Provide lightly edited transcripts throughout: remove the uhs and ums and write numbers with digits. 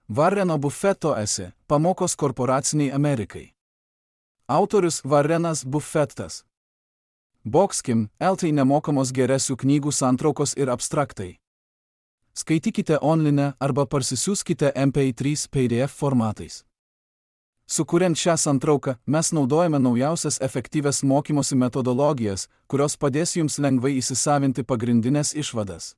Warreno Buffetto esė Pamokos korporaciniai Amerikai. Autorius Warrenas Buffettas. Boxkim, LT nemokamos geresių knygų santraukos ir abstraktai. Skaitykite online arba parsisiųskite MP3 PDF formatais. Sukuriant šią santrauką, mes naudojame naujausias efektyvias mokymosi metodologijas, kurios padės jums lengvai įsisavinti pagrindinės išvadas.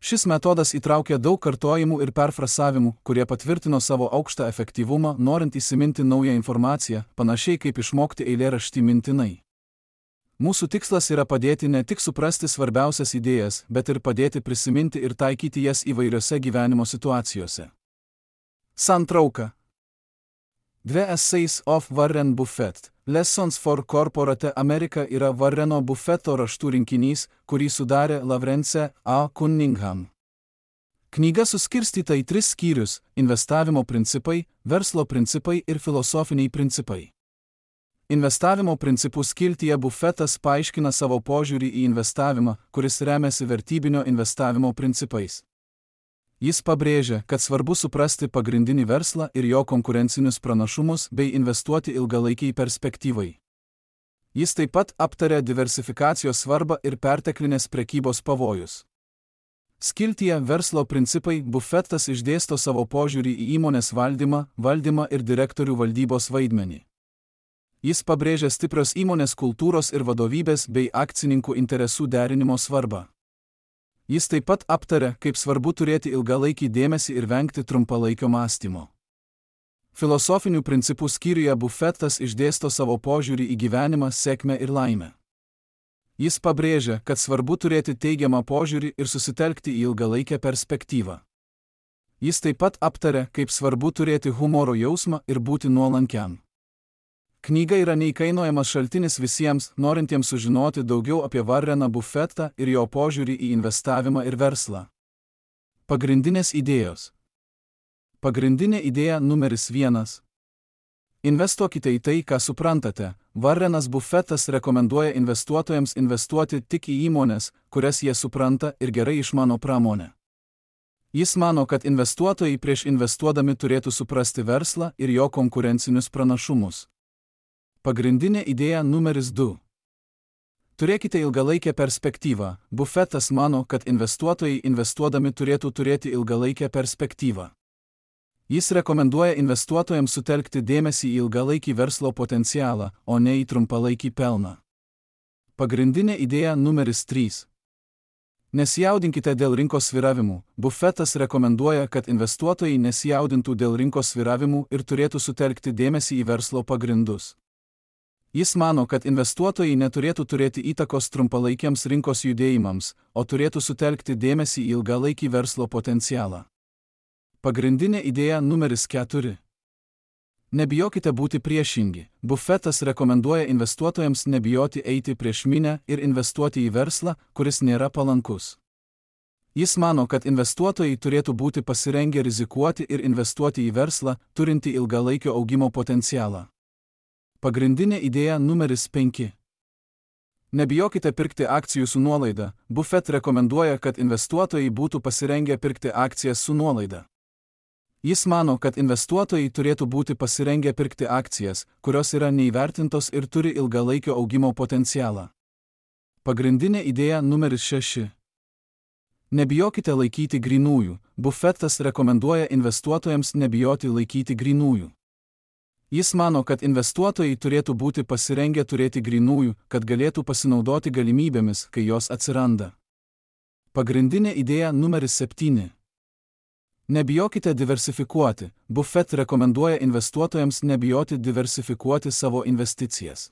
Šis metodas įtraukia daug kartojimų ir perfrasavimų, kurie patvirtino savo aukštą efektyvumą, norint įsiminti naują informaciją, panašiai kaip išmokti eilėraštį mintinai. Mūsų tikslas yra padėti ne tik suprasti svarbiausias idėjas, bet ir padėti prisiminti ir taikyti jas įvairiose gyvenimo situacijose. Santrauka. 2 Essays of Warren Buffett. Lessons for Corporate America yra Warreno Buffetto raštų rinkinys, kurį sudarė Lawrence A. Cunningham. Knyga suskirstyta į 3 skyrius – investavimo principai, verslo principai ir filosofiniai principai. Investavimo principų skiltyje Buffettas paaiškina savo požiūrį į investavimą, kuris remiasi vertybinio investavimo principais. Jis pabrėžia, kad svarbu suprasti pagrindinį verslą ir jo konkurencinius pranašumus bei investuoti ilgalaikiai perspektyvai. Jis taip pat aptarė diversifikacijos svarbą ir perteklinės prekybos pavojus. Skiltyje Verslo principai Buffettas išdėsto savo požiūrį į įmonės valdymą ir direktorių valdybos vaidmenį. Jis pabrėžia stiprios įmonės kultūros ir vadovybės bei akcininkų interesų derinimo svarbą. Jis taip pat aptarė, kaip svarbu turėti ilgalaikį dėmesį ir vengti trumpalaikio mąstymo. Filosofinių principų skyriuje Buffettas išdėsto savo požiūrį į gyvenimą, sėkmę ir laimę. Jis pabrėžia, kad svarbu turėti teigiamą požiūrį ir susitelkti į ilgalaikę perspektyvą. Jis taip pat aptarė, kaip svarbu turėti humoro jausmą ir būti nuolankiam. Knyga yra neįkainojamas šaltinis visiems, norintiems sužinoti daugiau apie Warreną Buffettą ir jo požiūrį į investavimą ir verslą. Pagrindinės idėjos. Pagrindinė idėja numeris 1. Investuokite į tai, ką suprantate. Warrenas Buffettas rekomenduoja investuotojams investuoti tik į įmones, kurias jie supranta ir gerai išmano pramonę. Jis mano, kad investuotojai prieš investuodami turėtų suprasti verslą ir jo konkurencinius pranašumus. Pagrindinė idėja numeris 2. Turėkite ilgalaikę perspektyvą. Buffettas mano, kad investuotojai investuodami turėtų turėti ilgalaikę perspektyvą. Jis rekomenduoja investuotojams sutelkti dėmesį į ilgalaikį verslo potencialą, o ne į trumpalaikį pelną. Pagrindinė idėja numeris 3. Nesijaudinkite dėl rinkos svyravimų. Buffettas rekomenduoja, kad investuotojai nesijaudintų dėl rinkos svyravimų ir turėtų sutelkti dėmesį į verslo pagrindus. Jis mano, kad investuotojai neturėtų turėti įtakos trumpalaikiams rinkos judėjimams, o turėtų sutelkti dėmesį į ilgalaikį verslo potencialą. Pagrindinė idėja numeris 4. Nebijokite būti priešingi. Buffettas rekomenduoja investuotojams nebijoti eiti prieš minią ir investuoti į verslą, kuris nėra palankus. Jis mano, kad investuotojai turėtų būti pasirengę rizikuoti ir investuoti į verslą, turintį ilgalaikio augimo potencialą. Pagrindinė idėja numeris 5. Nebijokite pirkti akcijų su nuolaida. Buffett rekomenduoja, kad investuotojai būtų pasirengę pirkti akcijas su nuolaida. Jis mano, kad investuotojai turėtų būti pasirengę pirkti akcijas, kurios yra neįvertintos ir turi ilgalaikio augimo potencialą. Pagrindinė idėja numeris 6. Nebijokite laikyti grynųjų. Buffettas rekomenduoja investuotojams nebijoti laikyti grynųjų. Jis mano, kad investuotojai turėtų būti pasirengę turėti grynųjų, kad galėtų pasinaudoti galimybėmis, kai jos atsiranda. Pagrindinė idėja numeris 7. Nebijokite diversifikuoti. Buffett rekomenduoja investuotojams nebijoti diversifikuoti savo investicijas.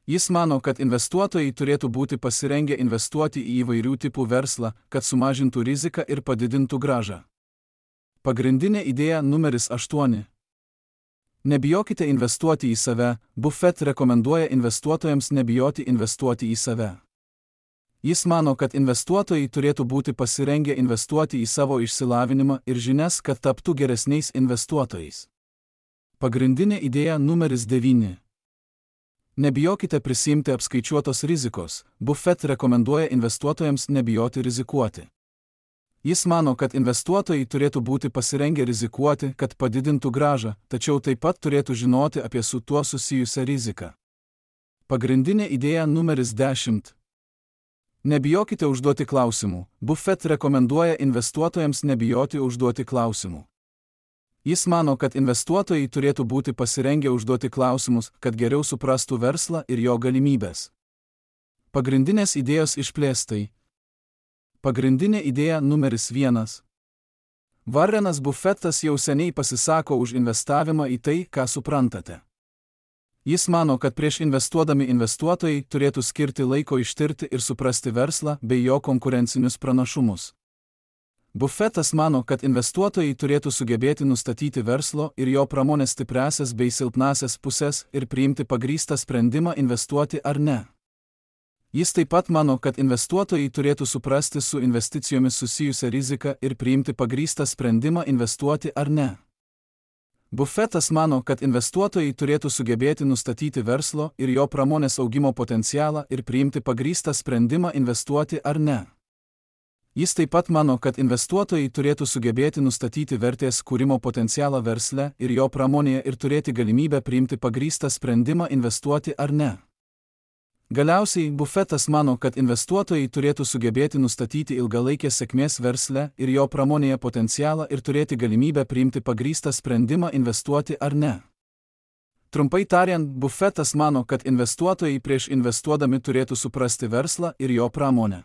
Jis mano, kad investuotojai turėtų būti pasirengę investuoti į įvairių tipų verslą, kad sumažintų riziką ir padidintų grąžą. Pagrindinė idėja numeris 8. Nebijokite investuoti į save. Buffett rekomenduoja investuotojams nebijoti investuoti į save. Jis mano, kad investuotojai turėtų būti pasirengę investuoti į savo išsilavinimą ir žinias, kad taptų geresniais investuotojais. Pagrindinė idėja numeris 9. Nebijokite prisiimti apskaičiuotos rizikos. Buffett rekomenduoja investuotojams nebijoti rizikuoti. Jis mano, kad investuotojai turėtų būti pasirengę rizikuoti, kad padidintų grąžą, tačiau taip pat turėtų žinoti apie su tuo susijusią riziką. Pagrindinė idėja numeris 10. Nebijokite užduoti klausimų. Buffett rekomenduoja investuotojams nebijoti užduoti klausimų. Jis mano, kad investuotojai turėtų būti pasirengę užduoti klausimus, kad geriau suprastų verslą ir jo galimybės. Pagrindinės idėjos išplėstai. Pagrindinė idėja numeris 1. Warrenas Buffettas jau seniai pasisako už investavimą į tai, ką suprantate. Jis mano, kad prieš investuodami investuotojai turėtų skirti laiko ištirti ir suprasti verslą bei jo konkurencinius pranašumus. Buffettas mano, kad investuotojai turėtų sugebėti nustatyti verslo ir jo pramonės stipriąsias bei silpnąsias pusės ir priimti pagrįstą sprendimą investuoti ar ne. Jis taip pat mano, kad investuotojai turėtų suprasti su investicijomis susijusią riziką ir priimti pagrįstą sprendimą investuoti ar ne. Buffettas mano, kad investuotojai turėtų sugebėti nustatyti verslo ir jo pramonės augimo potencialą ir priimti pagrįstą sprendimą investuoti ar ne. Jis taip pat mano, kad investuotojai turėtų sugebėti nustatyti vertės kūrimo potencialą versle ir jo pramonėje ir turėti galimybę priimti pagrįstą sprendimą investuoti ar ne. Galiausiai, Buffettas mano, kad investuotojai turėtų sugebėti nustatyti ilgalaikės sėkmės versle ir jo pramonėje potencialą ir turėti galimybę priimti pagrįstą sprendimą investuoti ar ne. Trumpai tariant, Buffettas mano, kad investuotojai prieš investuodami turėtų suprasti verslą ir jo pramonę.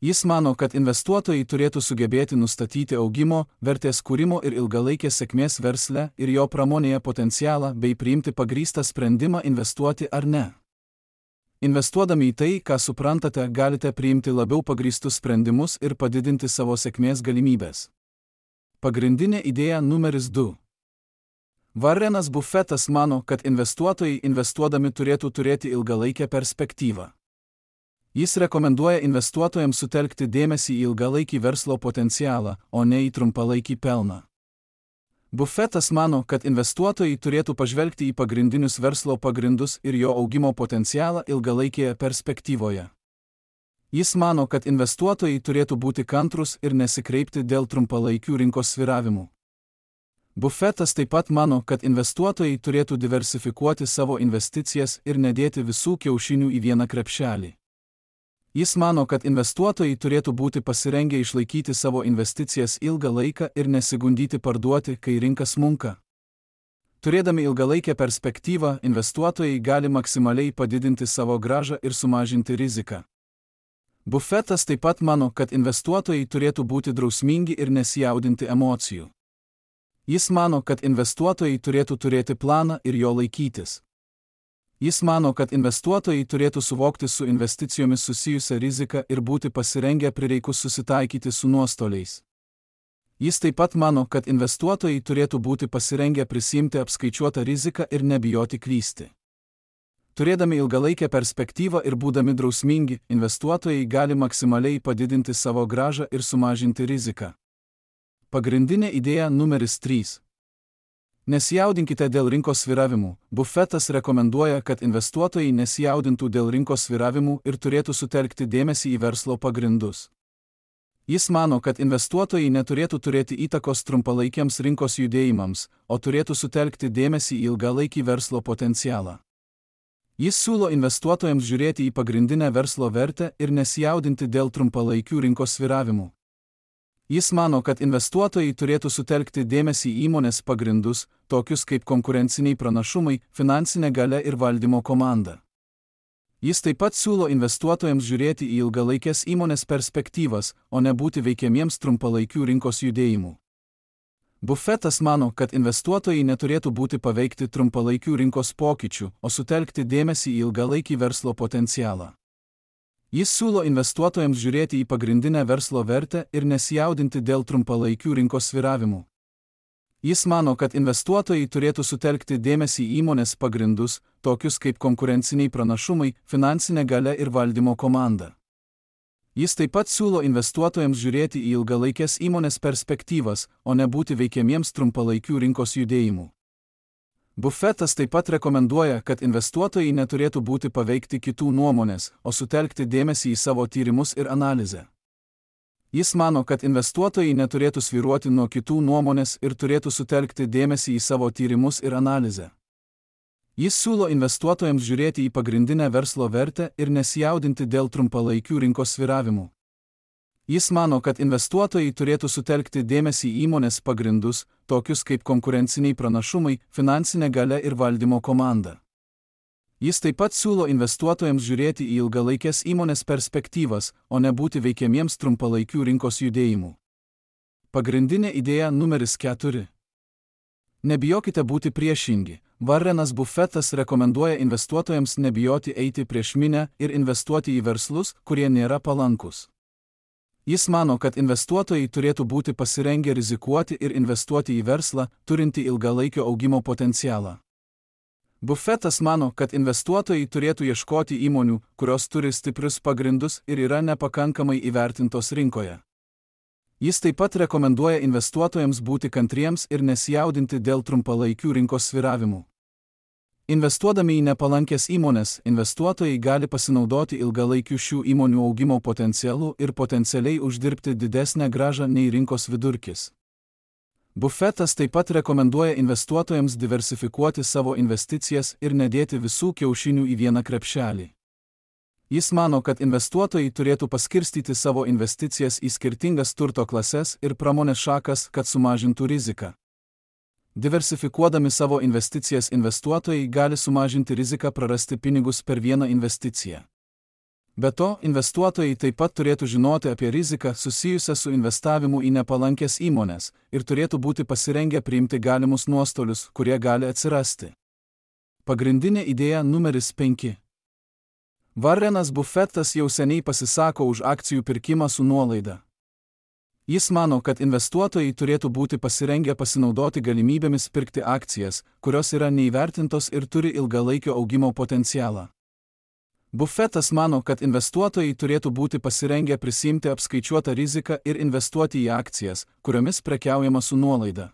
Jis mano, kad investuotojai turėtų sugebėti nustatyti augimo, vertės kūrimo ir ilgalaikės sėkmės versle ir jo pramonėje potencialą bei priimti pagrįstą sprendimą investuoti ar ne. Investuodami į tai, ką suprantate, galite priimti labiau pagrįstus sprendimus ir padidinti savo sėkmės galimybės. Pagrindinė idėja numeris 2. Warrenas Buffettas mano, kad investuotojai investuodami turėtų turėti ilgalaikę perspektyvą. Jis rekomenduoja investuotojams sutelkti dėmesį į ilgalaikį verslo potencialą, o ne į trumpalaikį pelną. Buffettas mano, kad investuotojai turėtų pažvelgti į pagrindinius verslo pagrindus ir jo augimo potencialą ilgalaikėje perspektyvoje. Jis mano, kad investuotojai turėtų būti kantrūs ir nesikreipti dėl trumpalaikių rinkos svyravimų. Buffettas taip pat mano, kad investuotojai turėtų diversifikuoti savo investicijas ir nedėti visų kiaušinių į vieną krepšelį. Jis mano, kad investuotojai turėtų būti pasirengę išlaikyti savo investicijas ilgą laiką ir nesigundyti parduoti, kai rinka smunka. Turėdami ilgalaikę perspektyvą, investuotojai gali maksimaliai padidinti savo grąžą ir sumažinti riziką. Buffettas taip pat mano, kad investuotojai turėtų būti drausmingi ir nesijaudinti emocijų. Jis mano, kad investuotojai turėtų turėti planą ir jo laikytis. Jis mano, kad investuotojai turėtų suvokti su investicijomis susijusią riziką ir būti pasirengę prireikus susitaikyti su nuostoliais. Jis taip pat mano, kad investuotojai turėtų būti pasirengę prisiimti apskaičiuotą riziką ir nebijoti klysti. Turėdami ilgalaikę perspektyvą ir būdami drausmingi, investuotojai gali maksimaliai padidinti savo grąžą ir sumažinti riziką. Pagrindinė idėja numeris 3. Nesijaudinkite dėl rinkos svyravimų. Buffettas rekomenduoja, kad investuotojai nesijaudintų dėl rinkos svyravimų ir turėtų sutelkti dėmesį į verslo pagrindus. Jis mano, kad investuotojai neturėtų turėti įtakos trumpalaikiams rinkos judėjimams, o turėtų sutelkti dėmesį į ilgalaikį verslo potencialą. Jis siūlo investuotojams žiūrėti į pagrindinę verslo vertę ir nesijaudinti dėl trumpalaikių rinkos svyravimų. Jis mano, kad investuotojai turėtų sutelkti dėmesį į įmonės pagrindus, tokius kaip konkurenciniai pranašumai, finansinė galia ir valdymo komanda. Jis taip pat siūlo investuotojams žiūrėti į ilgalaikės įmonės perspektyvas, o ne būti veikiamiems trumpalaikių rinkos judėjimų. Buffettas mano, kad investuotojai neturėtų būti paveikti trumpalaikių rinkos pokyčių, o sutelkti dėmesį į ilgalaikį verslo potencialą. Jis siūlo investuotojams žiūrėti į pagrindinę verslo vertę ir nesijaudinti dėl trumpalaikių rinkos svyravimų. Jis mano, kad investuotojai turėtų sutelkti dėmesį į įmonės pagrindus, tokius kaip konkurenciniai pranašumai, finansinė galia ir valdymo komanda. Jis taip pat siūlo investuotojams žiūrėti į ilgalaikės įmonės perspektyvas, o ne būti veikiamiems trumpalaikių rinkos judėjimų. Buffettas taip pat rekomenduoja, kad investuotojai neturėtų būti paveikti kitų nuomonės, o sutelkti dėmesį į savo tyrimus ir analizę. Jis mano, kad investuotojai neturėtų svyruoti nuo kitų nuomonės ir turėtų sutelkti dėmesį į savo tyrimus ir analizę. Jis siūlo investuotojams žiūrėti į pagrindinę verslo vertę ir nesijaudinti dėl trumpalaikių rinkos svyravimų. Jis mano, kad investuotojai turėtų sutelkti dėmesį į įmonės pagrindus, tokius kaip konkurenciniai pranašumai, finansinė galia ir valdymo komanda. Jis taip pat siūlo investuotojams žiūrėti į ilgalaikės įmonės perspektyvas, o ne būti veikiamiems trumpalaikių rinkos judėjimų. Pagrindinė idėja numeris 4. Nebijokite būti priešingi. Warrenas Buffetas rekomenduoja investuotojams nebijoti eiti prieš minią ir investuoti į verslus, kurie nėra palankus. Jis mano, kad investuotojai turėtų būti pasirengę rizikuoti ir investuoti į verslą, turintį ilgalaikio augimo potencialą. Buffetas mano, kad investuotojai turėtų ieškoti įmonių, kurios turi stiprius pagrindus ir yra nepakankamai įvertintos rinkoje. Jis taip pat rekomenduoja investuotojams būti kantriems ir nesijaudinti dėl trumpalaikių rinkos svyravimų. Investuodami į nepalankės įmonės, investuotojai gali pasinaudoti ilgalaikiu šių įmonių augimo potencialu ir potencialiai uždirbti didesnę grąžą nei rinkos vidurkis. Buffetas taip pat rekomenduoja investuotojams diversifikuoti savo investicijas ir nedėti visų kiaušinių į vieną krepšelį. Jis mano, kad investuotojai turėtų paskirstyti savo investicijas į skirtingas turto klases ir pramonės šakas, kad sumažintų riziką. Diversifikuodami savo investicijas investuotojai gali sumažinti riziką prarasti pinigus per vieną investiciją. Be to, investuotojai taip pat turėtų žinoti apie riziką susijusią su investavimu į nepalankės įmonės ir turėtų būti pasirengę priimti galimus nuostolius, kurie gali atsirasti. Pagrindinė idėja numeris 5. Warrenas Buffetas jau seniai pasisako už akcijų pirkimą su nuolaida. Jis mano, kad investuotojai turėtų būti pasirengę pasinaudoti galimybėmis pirkti akcijas, kurios yra neįvertintos ir turi ilgalaikio augimo potencialą. Buffetas mano, kad investuotojai turėtų būti pasirengę prisiimti apskaičiuotą riziką ir investuoti į akcijas, kuriomis prekiaujama su nuolaida.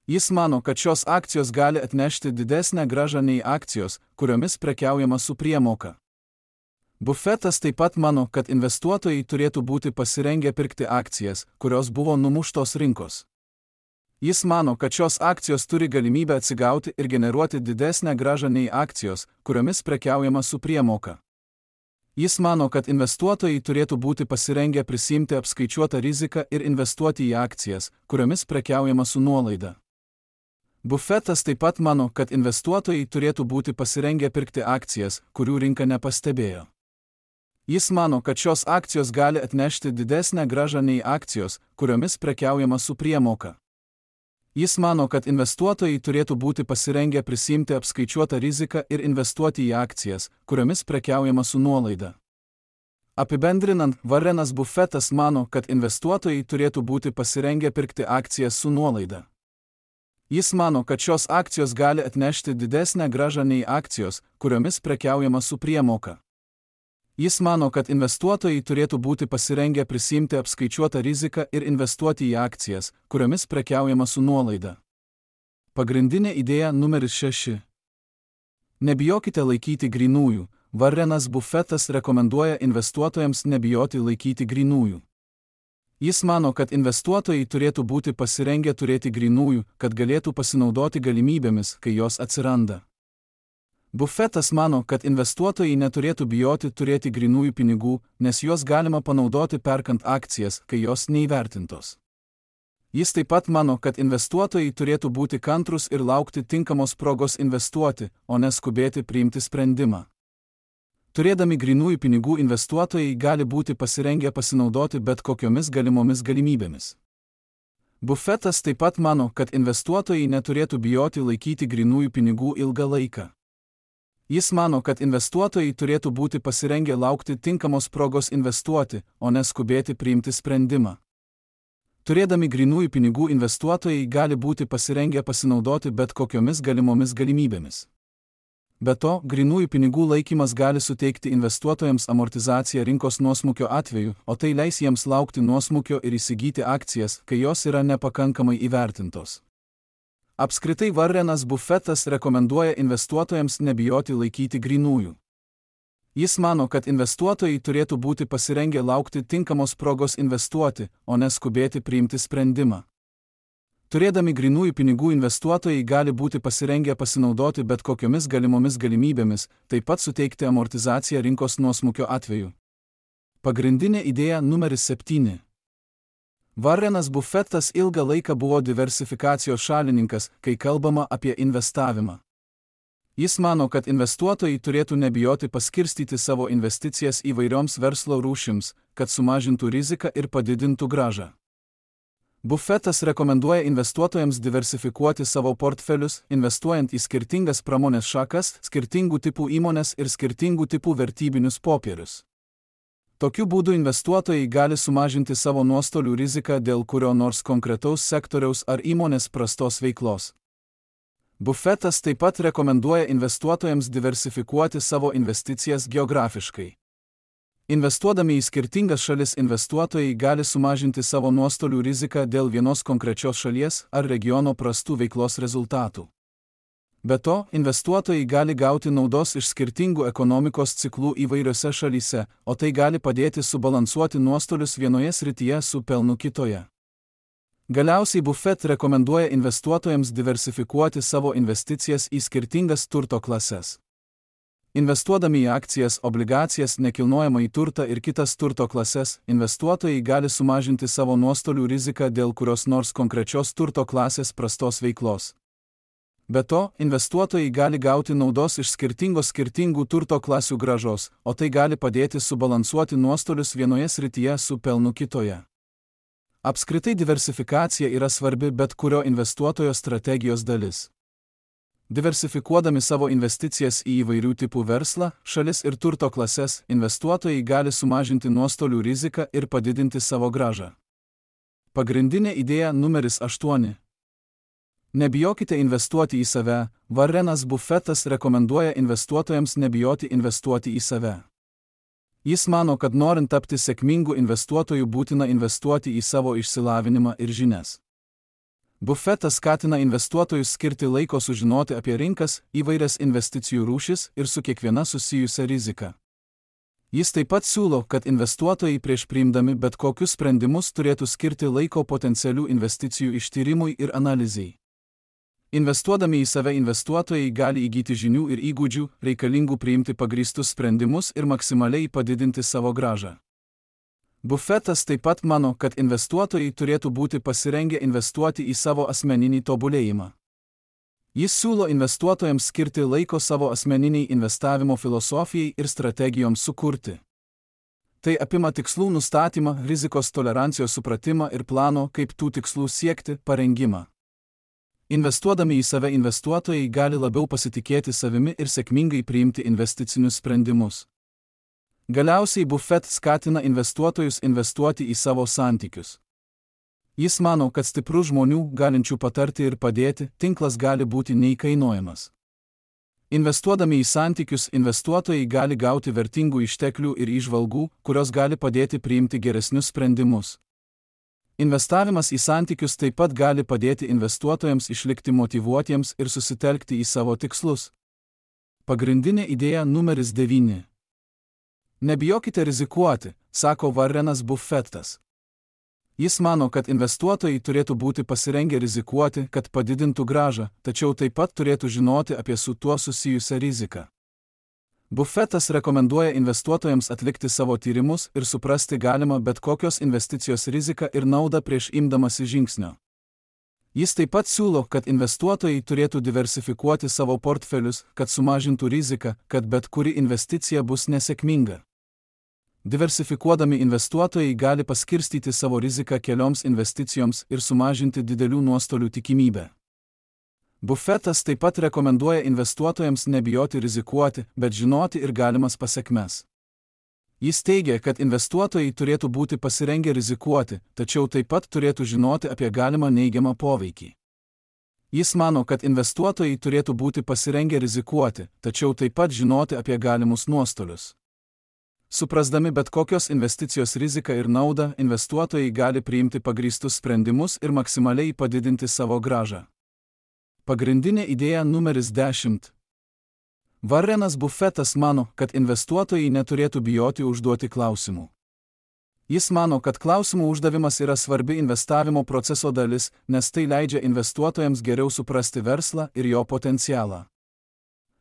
Jis mano, kad šios akcijos gali atnešti didesnę grąžą nei akcijos, kuriomis prekiaujama su priemoka. Buffetas taip pat mano, kad investuotojai turėtų būti pasirengę pirkti akcijas, kurios buvo numuštos rinkos. Jis mano, kad šios akcijos turi galimybę atsigauti ir generuoti didesnę grąžą nei akcijos, kuriomis prekiaujama su priemoka. Jis mano, kad investuotojai turėtų būti pasirengę prisiimti apskaičiuotą riziką ir investuoti į akcijas, kuriomis prekiaujama su nuolaida. Buffetas taip pat mano, kad investuotojai turėtų būti pasirengę pirkti akcijas, kurių rinka nepastebėjo. Jis mano, kad šios akcijos gali atnešti didesnę grąžą nei akcijos, kuriomis prekiaujama su priemoka. Jis mano, kad investuotojai turėtų būti pasirengę prisiimti apskaičiuotą riziką ir investuoti į akcijas, kuriomis prekiaujama su nuolaida. Apibendrinant, Warrenas Buffetas mano, kad investuotojai turėtų būti pasirengę pirkti akcijas su nuolaida. Jis mano, kad šios akcijos gali atnešti didesnę grąžą nei akcijos, kuriomis prekiaujama su priemoka. Jis mano, kad investuotojai turėtų būti pasirengę prisiimti apskaičiuotą riziką ir investuoti į akcijas, kuriomis prekiaujama su nuolaida. Pagrindinė idėja numeris 6. Nebijokite laikyti grynųjų. Warrenas Buffetas rekomenduoja investuotojams nebijoti laikyti grynųjų. Jis mano, kad investuotojai turėtų būti pasirengę turėti grynųjų, kad galėtų pasinaudoti galimybėmis, kai jos atsiranda. Buffetas mano, kad investuotojai neturėtų bijoti turėti grynųjų pinigų, nes juos galima panaudoti perkant akcijas, kai jos neįvertintos. Jis taip pat mano, kad investuotojai turėtų būti kantrūs ir laukti tinkamos progos investuoti, o neskubėti priimti sprendimą. Turėdami grynųjų pinigų investuotojai gali būti pasirengę pasinaudoti bet kokiomis galimomis galimybėmis. Buffetas taip pat mano, kad investuotojai neturėtų bijoti laikyti grynųjų pinigų ilgą laiką. Jis mano, kad investuotojai turėtų būti pasirengę laukti tinkamos progos investuoti, o neskubėti priimti sprendimą. Turėdami grynųjų pinigų investuotojai gali būti pasirengę pasinaudoti bet kokiomis galimomis galimybėmis. Be to, grynųjų pinigų laikymas gali suteikti investuotojams amortizaciją rinkos nuosmukio atveju, o tai leis jiems laukti nuosmukio ir įsigyti akcijas, kai jos yra nepakankamai įvertintos. Apskritai Warrenas Buffetas rekomenduoja investuotojams nebijoti laikyti grynųjų. Jis mano, kad investuotojai turėtų būti pasirengę laukti tinkamos progos investuoti, o neskubėti priimti sprendimą. Turėdami grynųjų pinigų investuotojai gali būti pasirengę pasinaudoti bet kokiomis galimomis galimybėmis, taip pat suteikti amortizaciją rinkos nuosmukio atveju. Pagrindinė idėja numeris 7. Warrenas Buffettas ilgą laiką buvo diversifikacijos šalininkas, kai kalbama apie investavimą. Jis mano, kad investuotojai turėtų nebijoti paskirstyti savo investicijas įvairioms verslo rūšims, kad sumažintų riziką ir padidintų grąžą. Buffettas rekomenduoja investuotojams diversifikuoti savo portfelius, investuojant į skirtingas pramonės šakas, skirtingų tipų įmones ir skirtingų tipų vertybinius popierius. Tokiu būdu investuotojai gali sumažinti savo nuostolių riziką dėl kurio nors konkretaus sektoriaus ar įmonės prastos veiklos. Buffettas taip pat rekomenduoja investuotojams diversifikuoti savo investicijas geografiškai. Investuodami į skirtingas šalis investuotojai gali sumažinti savo nuostolių riziką dėl vienos konkrečios šalies ar regiono prastų veiklos rezultatų. Be to, investuotojai gali gauti naudos iš skirtingų ekonomikos ciklų įvairiose šalyse, o tai gali padėti subalansuoti nuostolius vienoje srityje su pelnu kitoje. Galiausiai Buffett rekomenduoja investuotojams diversifikuoti savo investicijas į skirtingas turto klases. Investuodami į akcijas, obligacijas, nekilnojamąjį turtą ir kitas turto klases, investuotojai gali sumažinti savo nuostolių riziką dėl kurios nors konkrečios turto klasės prastos veiklos. Be to, investuotojai gali gauti naudos iš skirtingų turto klasių grąžos, o tai gali padėti subalansuoti nuostolius vienoje srityje su pelnu kitoje. Apskritai diversifikacija yra svarbi bet kurio investuotojo strategijos dalis. Diversifikuodami savo investicijas į įvairių tipų verslą, šalis ir turto klases, investuotojai gali sumažinti nuostolių riziką ir padidinti savo grąžą. Pagrindinė idėja numeris 8. Nebijokite investuoti į save. Warrenas Buffettas rekomenduoja investuotojams nebijoti investuoti į save. Jis mano, kad norint tapti sėkmingu investuotoju būtina investuoti į savo išsilavinimą ir žinias. Buffettas skatina investuotojus skirti laiko sužinoti apie rinkas, įvairias investicijų rūšis ir su kiekviena susijusią riziką. Jis taip pat siūlo, kad investuotojai prieš priimdami bet kokius sprendimus turėtų skirti laiko potencialių investicijų ištyrimui ir analizei. Investuodami į save investuotojai gali įgyti žinių ir įgūdžių, reikalingų priimti pagrįstus sprendimus ir maksimaliai padidinti savo grąžą. Buffettas taip pat mano, kad investuotojai turėtų būti pasirengę investuoti į savo asmeninį tobulėjimą. Jis siūlo investuotojams skirti laiko savo asmeniniai investavimo filosofijai ir strategijoms sukurti. Tai apima tikslų nustatymą, rizikos tolerancijos supratimą ir plano, kaip tų tikslų siekti, parengimą. Investuodami į save investuotojai gali labiau pasitikėti savimi ir sėkmingai priimti investicinius sprendimus. Galiausiai Buffett skatina investuotojus investuoti į savo santykius. Jis mano, kad stiprių žmonių, galinčių patarti ir padėti, tinklas gali būti neįkainojamas. Investuodami į santykius, investuotojai gali gauti vertingų išteklių ir įžvalgų, kurios gali padėti priimti geresnius sprendimus. Investavimas į santykius taip pat gali padėti investuotojams išlikti motyvuotiems ir susitelkti į savo tikslus. Pagrindinė idėja numeris 9. Nebijokite rizikuoti, sako Warrenas Buffettas. Jis mano, kad investuotojai turėtų būti pasirengę rizikuoti, kad padidintų grąžą, tačiau taip pat turėtų žinoti apie su tuo susijusią riziką. Buffettas rekomenduoja investuotojams atlikti savo tyrimus ir suprasti galimą bet kokios investicijos riziką ir naudą prieš imdamasi žingsnio. Jis taip pat siūlo, kad investuotojai turėtų diversifikuoti savo portfelius, kad sumažintų riziką, kad bet kuri investicija bus nesėkminga. Diversifikuodami investuotojai gali paskirstyti savo riziką kelioms investicijoms ir sumažinti didelių nuostolių tikimybę. Buffettas taip pat rekomenduoja investuotojams nebijoti rizikuoti, bet žinoti ir galimas pasekmes. Jis teigia, kad investuotojai turėtų būti pasirengę rizikuoti, tačiau taip pat turėtų žinoti apie galimą neigiamą poveikį. Jis mano, kad investuotojai turėtų būti pasirengę rizikuoti, tačiau taip pat žinoti apie galimus nuostolius. Suprasdami bet kokios investicijos riziką ir naudą, investuotojai gali priimti pagrįstus sprendimus ir maksimaliai padidinti savo grąžą. Pagrindinė idėja numeris 10. Warrenas Buffetas mano, kad investuotojai neturėtų bijoti užduoti klausimų. Jis mano, kad klausimų uždavimas yra svarbi investavimo proceso dalis, nes tai leidžia investuotojams geriau suprasti verslą ir jo potencialą.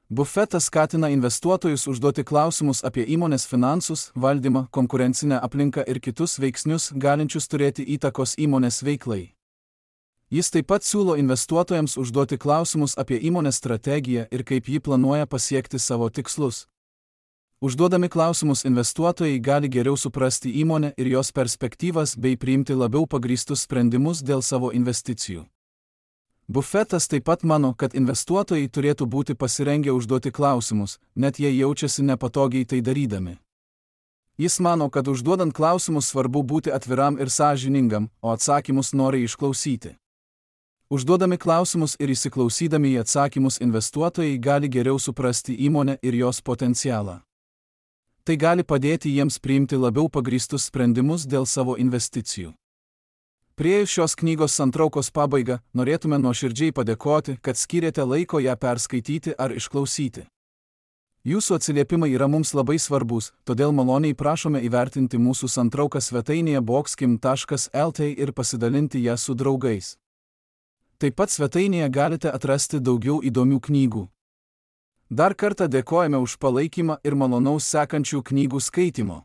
Buffetas skatina investuotojus užduoti klausimus apie įmonės finansus, valdymą, konkurencinę aplinką ir kitus veiksnius, galinčius turėti įtakos įmonės veiklai. Jis taip pat siūlo investuotojams užduoti klausimus apie įmonės strategiją ir kaip ji planuoja pasiekti savo tikslus. Užduodami klausimus investuotojai gali geriau suprasti įmonę ir jos perspektyvas bei priimti labiau pagrįstus sprendimus dėl savo investicijų. Buffetas taip pat mano, kad investuotojai turėtų būti pasirengę užduoti klausimus, net jei jaučiasi nepatogiai tai darydami. Jis mano, kad užduodant klausimus svarbu būti atviram ir sąžiningam, o atsakymus noriai išklausyti. Užduodami klausimus ir įsiklausydami į atsakymus investuotojai gali geriau suprasti įmonę ir jos potencialą. Tai gali padėti jiems priimti labiau pagrįstus sprendimus dėl savo investicijų. Priėjus šios knygos santraukos pabaigą, norėtume nuoširdžiai padėkoti, kad skyrėte laiko ją perskaityti ar išklausyti. Jūsų atsiliepimai yra mums labai svarbus, todėl maloniai prašome įvertinti mūsų santrauką svetainėje boxkim.lt ir pasidalinti ją su draugais. Taip pat svetainėje galite atrasti daugiau įdomių knygų. Dar kartą dėkojame už palaikymą ir malonaus sekančių knygų skaitymo.